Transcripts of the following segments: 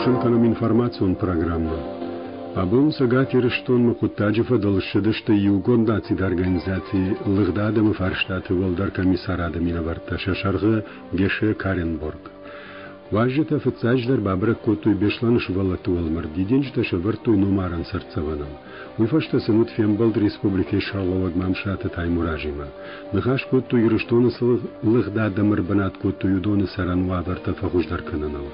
Хъусын кӕнӕм информацион программӕ. Абон Цӕгат Ирыстонмӕ хъуыддаджы фӕдыл ссыдысты Иугонд Нациты Организацийы лыгъд адӕмы фарстаты уӕлдӕр комиссарады минӕвӕрттӕ сӕ сӕргъы Геше Каренборг. Уазджытӕ фыццаджыдӕр бабӕрӕг кодтой Беслӕны сывӕллӕтты уӕлмӕрд, дидинджытӕ сӕвӕрдтой номарӕн цыртдзӕвӕныл. Уый фӕстӕ сын уыд фембӕлд республикӕйы сӕргълӕууӕг Мамсыраты Таймуразимӕ. Ныхас кодтой Ирыстоны цы лыгъд адӕм ӕрбынат кодтой, уыдоны цӕрӕн уавӕртӕ фӕхуыздӕр кӕныныл.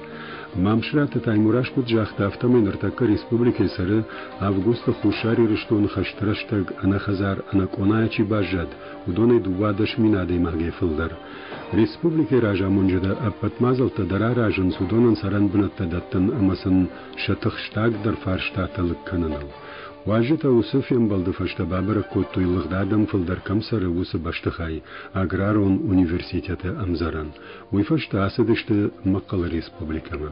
Мамсыраты Таймураз куыд загъта, афтӕмӕй ныртӕккӕ республикӕйы цӕры августы Хуссар Ирыстоны хӕсты рӕстӕг ӕнӕхӕдзар, ӕнӕкъонайӕ чи баззад, уыдонӕй 12 000 адӕймагӕй фылдӕр. Республикӕйы разамонджытӕ ӕппӕт мадзӕлттӕ дӕр аразынц уыдонӕн цӕрӕнбынӕттӕ дӕттын ӕмӕ сын сӕ тыхстагдӕр фарстатӕ лыг кӕныныл. Уазджытӕ уыцы фембӕлды фӕстӕ бабӕрӕг кодтой лыгъд адӕм фылдӕр кӕм цӕры, уыцы бӕстыхай, Аграрон университеты ӕмдзӕрӕн. Уый фӕстӕ ацыдысты Мӕхъхъӕлы республикӕмӕ.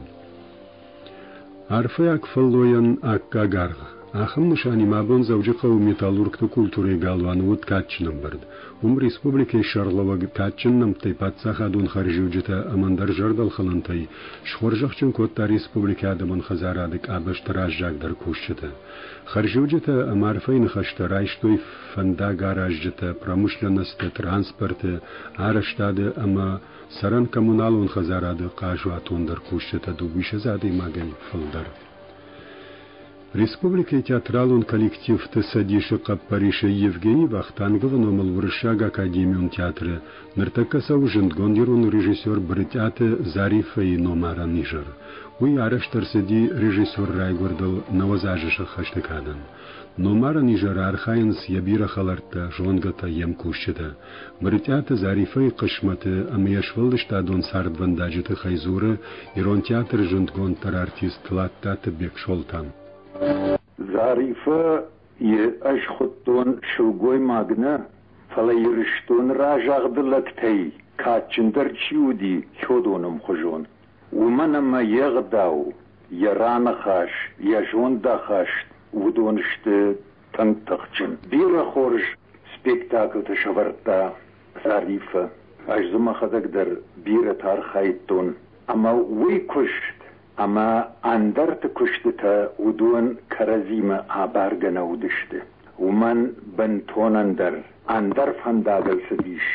Арфӕйаг фӕллойӕн аккаг аргъ. Ахӕм нысанимӕ абон Дзӕуджыхъӕуы металлургты культурӕйы галуаны уыд кадджын ӕмбырд. Уым республикӕйы сӕргълӕууӕг кадджын нӕмттӕй паддзахадон хӕрзиуджытӕ ӕмӕ ӕндӕр зӕрдӕлхӕнӕнтӕй схорзӕхджын кодта республикӕйы адӕмон хӕдзарады къабӕзты раззагдӕр кусджыты. Хӕрзиуджытӕ ӕмӕ арфӕйы ныхӕстӕ райстой фӕндагаразджытӕ, промышленносты, транспорты, арӕзтады ӕмӕ цӕрӕн-коммуналон хӕдзарады хъазуатондӕр кусджытӕ дыууиссӕдз адӕймагӕй фылдӕр. Республикӕйы театралон коллективты цӕдисы хъӕппӕрисӕй Евгений Вахтанговы номыл Уырыссаг академион театры ныртӕккӕ цӕуы зындгонд ирон режиссер Брытъиаты Зариффӕйы номарӕн изӕр. Уый арӕзт ӕрцыди режиссеры райгуырдыл 90 азы сӕххӕсты кадӕн. Номарӕн изӕры архайынц йӕ бирӕ хӕлӕрттӕ, зонгӕтӕ, йе мкусджытӕ. Брытъиаты Зариффӕйы хъысмӕты ӕмӕ йе сфӕлдыстадон цардвӕндаджы тыххӕй дзуры Ирон театры зындгонддӕр артист Тлаттаты Бексолтан. Зариффӕ йы ӕз хуыдтон сылгоймаг нӕ, фӕлӕ Ирыстоны разагъды лӕгтӕй кадджындӕр чи уыди, уыдон ӕмхуызон. Уымӕн ӕмӕ йе гъдау, йӕ раныхас, йӕ зондахаст уыдон сты тынг тыхджын. Бирӕ хорз спектакльтӕ сӕвӕрдта Зариффӕ. Ӕз дзы мӕхӕдӕг дӕр бирӕтӕ архайдтон. Ӕмӕ уый куыст ӕмӕ ӕндӕрты куыстытӕ уыдон кӕрӕдзимӕ абаргӕ нӕ уыдысты. Уымӕн бынтон ӕндӕр, ӕндӕр фӕндагыл цыдис.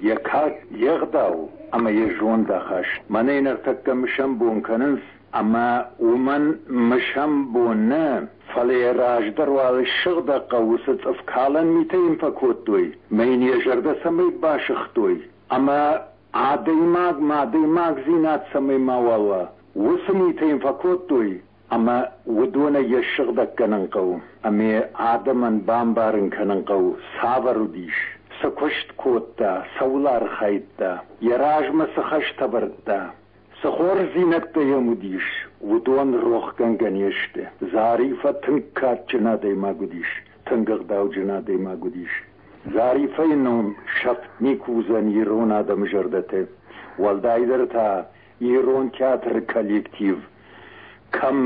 Йӕ кад, йе гъдау ӕмӕ йӕ зондахаст. Мӕнӕй ныртӕккӕ мысӕн бон кӕнынц, ӕмӕ уымӕн мысӕн бон нӕ, фӕлӕ йӕ раздӕр уал ссыгъдӕг хъӕуы цы цъыфкалӕн митӕ йын фӕкодтой, мӕ йын йӕ зӕрдӕ цӕмӕй басыгътой, ӕмӕ адӕймагмӕ адӕймагдзинад цӕмӕй мауал уа, уыцы митӕ йын фӕкодтой, ӕмӕ уыдонӕй йӕ ссыгъдӕг кӕнын хъӕуы, ӕмӕ адӕмӕн бамбарын кӕнын хъӕуы, цавӕр уыдис, цы куыст кодта, цӕуыл архайдта, йӕ размӕ цы хӕстӕ ӕвӕрдта. Цы хорздзинӕдтӕ йӕм уыдис, уыдон рохгӕнгӕ не сты. Зариффӕ тынг кадджын адӕймаг уыдис, тынг ӕгъдауджын адӕймаг уыдис. Зариффӕйы ном сӕфт никуы уыдзӕн ирон адӕмы зӕрдӕты, уӕлдайдӕр та ирон театры коллектив кӕм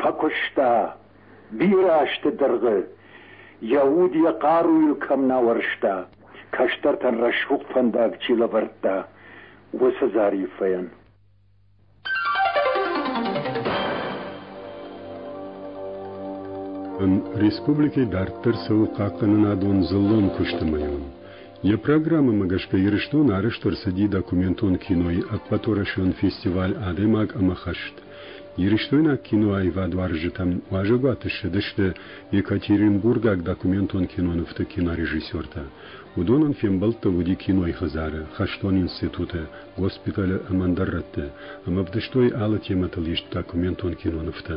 фӕкуыста бирӕ азты дӕргъы, йӕ уд йӕ хъаруйыл кӕм нӕ ауӕрста, кӕстӕртӕн рӕсугъд фӕндаг чи лӕвӕрдта, уыцы Зариффӕйӕн. Республикӕйы дарддӕр цӕуы хъахъхъӕнынадон дзыллон куысты мӕйон. Йӕ программӕмӕ гӕсгӕ Ирыстоны арӕзт ӕрцыди документон кинойы ӕппӕтуӕрӕсеон фестиваль «Адӕймаг ӕмӕ хӕст». Ирыстойнаг киноаивадуарзджытӕм уазӕгуаты ссыдысты екатеринбургаг документон кинонывты кинорежиссертӕ. Уыдонӕн фембӕлдтӕ уыди кинойы хӕдзары, хӕстон институты, госпиталы ӕмӕ ӕндӕр рӕтты, ӕмӕ ӕвдыстой алы темӕтыл ист документон кинонывтӕ.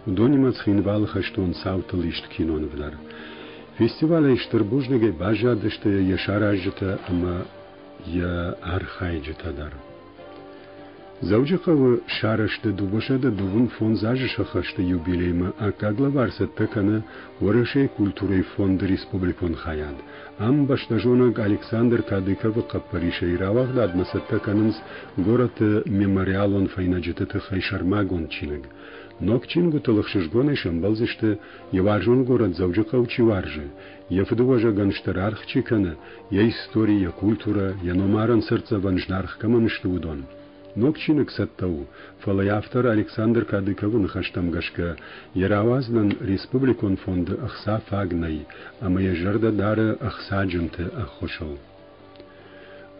Уыдонимӕ Цхинвалы хӕстон цаутыл ист киноныв дӕр. Фестивалӕй стыр бузныгӕй баззадысты йӕ саразджытӕ ӕмӕ йӕ архайджытӕ дӕр. Дзӕуджыхъӕуы сарӕзты 225 азы сӕххӕсты юбилеймӕ аккаг лӕвар цӕттӕ кӕны Уӕрӕсейы культурӕйы фонды республикон хайад. Ам бӕстӕзонӕг Александр Кадыковы хъӕппӕрисӕй рауагъдадмӕ цӕттӕ кӕнынц горӕты мемориалон фӕйнӕджыты тыххӕй сӕрмагонд чиныг. Ног чингуытыл ӕхсызгонӕй сӕмбӕлдзысты, йӕ уарзон горӕт Дзӕуджыхъӕу чи уарзы, йӕ фыдыуӕзӕгӕн стыр аргъ чи кӕны, йӕ истори, йӕ культурӕ, йӕ номарӕн цыртдзӕвӕн зынаргъ кӕмӕн сты, уыдон. Ног чиныг цӕттӕ у, фӕлӕ йӕ автор Александр Кадыковы ныхӕстӕм гӕсгӕ, йӕ рауадзынӕн республикон фонды ӕхца фаг нӕй, ӕмӕ йӕ зӕрдӕ дары ӕхцаджынты ӕххуысыл.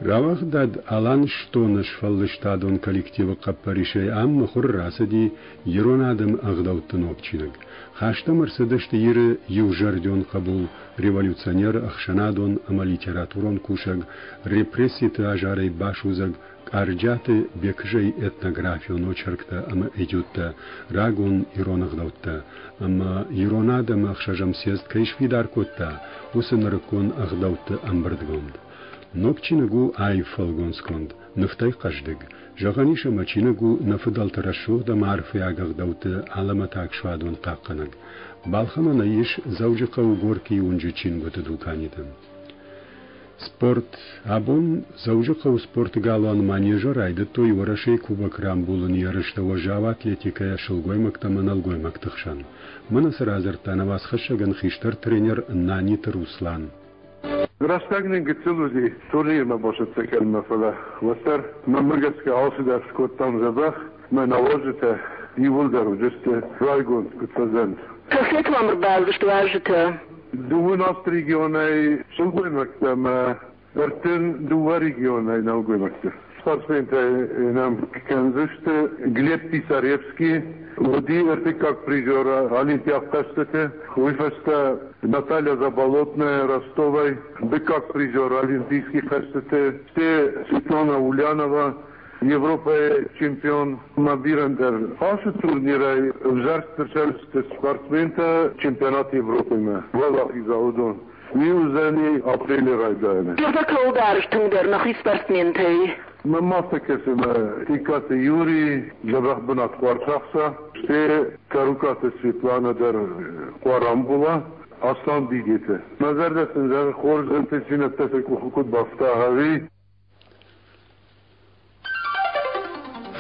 Рауагъдад Аланыстон-ы сфӕлдыстадон коллективы хъӕппӕрисӕй ам мыхуыры рацыди ирон адӕмы ӕгъдӕутты ног чиныг. Хаст ӕм ӕрцыдысты Иры иузӕрдион хъӕбул, революционер, ӕхсӕнадон ӕмӕ литературон кусӕг, репресситы азарӕй басудзӕг Къарджиаты Бекызӕйы этнографион очерктӕ ӕмӕ этюдтӕ, рагон ирон ӕгъдӕуттӕ ӕмӕ ирон адӕмы ӕхсӕзӕм съезд кӕй сфидар кодта, уыцы нырыккон ӕгъдӕутты ӕмбырдгонд. Ног чиныг у аив фӕлгонцгонд, нывтӕй хъӕздыг. Зӕгъӕн ис, ӕмӕ чиныг у нӕ фыдӕлты рӕсугъд ӕмӕ арфӕйаг ӕгъдӕутты алӕмӕтаг суадон хъахъхъӕнӕг. Балхӕнӕн ӕй ис Дзӕуджыхъӕуы Горькийы уынджы чингуыты дуканиты. Спорт. Абон Дзӕуджыхъӕуы спорты галуан Манежы райдыдтой Уӕрӕсейы Кубок рамбулыны ерыстӕ уӕззау атлетикӕйӕ сылгоймӕгтӕ ӕмӕ нӕлгоймӕгты хсӕн. Мӕнӕ цы радзырдта нӕ уацхӕссӕгӕн хистӕр тренер Наниты Руслан. Рӕстӕг нын гыццыл уыди турнирмӕ бацӕттӕ кӕнынмӕ, фӕлӕ уӕддӕр мӕнмӕ гӕсгӕ алцыдӕр скодтам дзӕбӕх. Мӕ науазджытӕ иууылдӕр уыдысты райгонд, куыд фӕзӕнд. Кафеты уӕм ӕрбацыдысты уазджытӕ? Дыууын аст регионӕй сылгоймӕгтӕ ӕмӕ 32 регионӕй нӕлгоймӕгты. Спортсментӕ нӕм кӕндзысты Глеб Писаревский, уыди ӕртыккаг призер Олимпиаг хъӕзтыты. Уый фӕстӕ Наталья Заболотная Ростовӕй, дыккаг призер Олимпийский хъӕзтыты, стӕй Светлана Ульянова, Европӕйы чемпион ма бирӕ ӕндӕр. Ацы турнирӕй ӕвзӕрст ӕрцӕудзысты спортсментӕ чемпионат Европӕмӕ уӕлахиза уыдон. Уый уыдзӕни апрелы райдайӕны. Зӕрдӕ кӕуыл дарыс тынгдӕр нӕхи спортсментӕй? Мӕнмӕ афтӕ кӕсы, ӕмӕ Икъаты Юрий дзӕбӕх бынат куы ӕрцахса, стӕй Цӕрукъаты Светланӕ дӕр куы рамбула, Аслан Бигеты. Мӕ зӕрдӕ сын зӕгъы, хорз ӕнтыстдзинӕдтӕ сӕ къухы куыд бафта, ӕви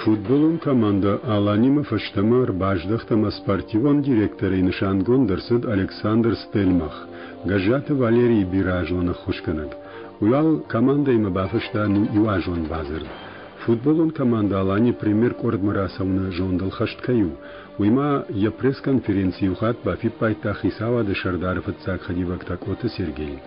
Футболон командӕ «Алани»-мӕ фӕстӕмӕ ӕрбаздӕхт ӕмӕ спортивон директорӕй нысангонд ӕрцыд Александр Стельмах, Гӕззаты Валерийы бирӕазон ӕххуысгӕнӕг. Уый уал командӕимӕ бафыста иуазон бадзырд. Футболон командӕ «Алани» премьер-къордмӕ рацӕуыны зондыл хӕст кӕй у, уый ма йӕ пресс-конференцийы иу хатт бафиппайдта хицауады сӕрдары фыццаг хӕдивӕг Такъоты Сергей.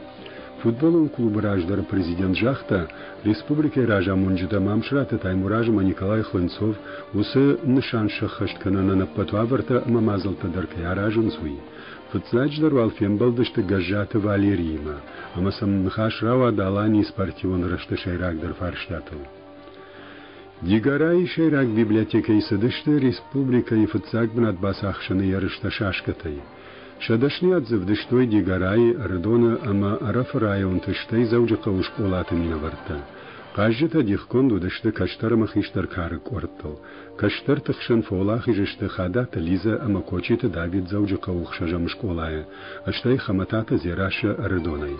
Футболон клубы раздӕры президент загъта, республикӕйы разамонджытӕ Мамсыраты Таймураз ӕмӕ Николай Хлынцов уыцы нысан сӕххӕст кӕнынӕн ӕппӕт уавӕртӕ ӕмӕ мадзӕлттӕ дӕр кӕй аразынц, уый. Фыццаджыдӕр уал фембӕлдысты Гӕззаты Валериимӕ, ӕмӕ сӕм ныхас рауад Аланийы спортивон рӕзты сӕйрагдӕр фарстатыл. Дигорайы сӕйраг библиотекӕйы цыдысты республикӕйы фыццаг бынат бацахсыны ерыстӕ шашкӕтӕй. Сӕ дӕсныйад дзы ӕвдыстой Дигорайы, Ӕрыдоны ӕмӕ Ӕрӕфы районты, стӕй Дзӕуджыхъӕуы скъолаты минӕвӕрттӕ. Хъазджытӕ дихгонд уыдысты кӕстӕр ӕмӕ хистӕр кары къордтыл. Кӕстӕрты хсӕн фӕуӕлахиз сты Хадаты Лизӕ ӕмӕ Кочиты Давид Дзӕуджыхъӕуы ӕхсӕзӕм скъолайы, стӕй Хӕмӕтаты Дзерассӕ Ӕрыдонӕй.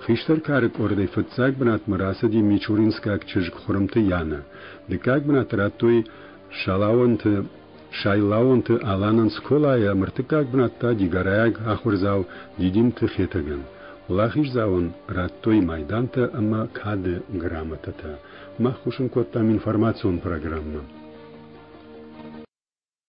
Хистӕр кары къордӕй фыццаг бынатмӕ рацыди мичуринскаг чызг Хуырымты Янӕ. Дыккаг бынат радтой Салаонты Сайлаонты Аланӕн скъолайы ӕмӕ ӕртыккаг бынат та дигорайаг ахуырдзау Дидинты Хетӕгӕн. Уӕлахиздзауӕн радтой майдантӕ ӕмӕ кады грамотӕтӕ. Мах хъусын кодтам информацион программӕ.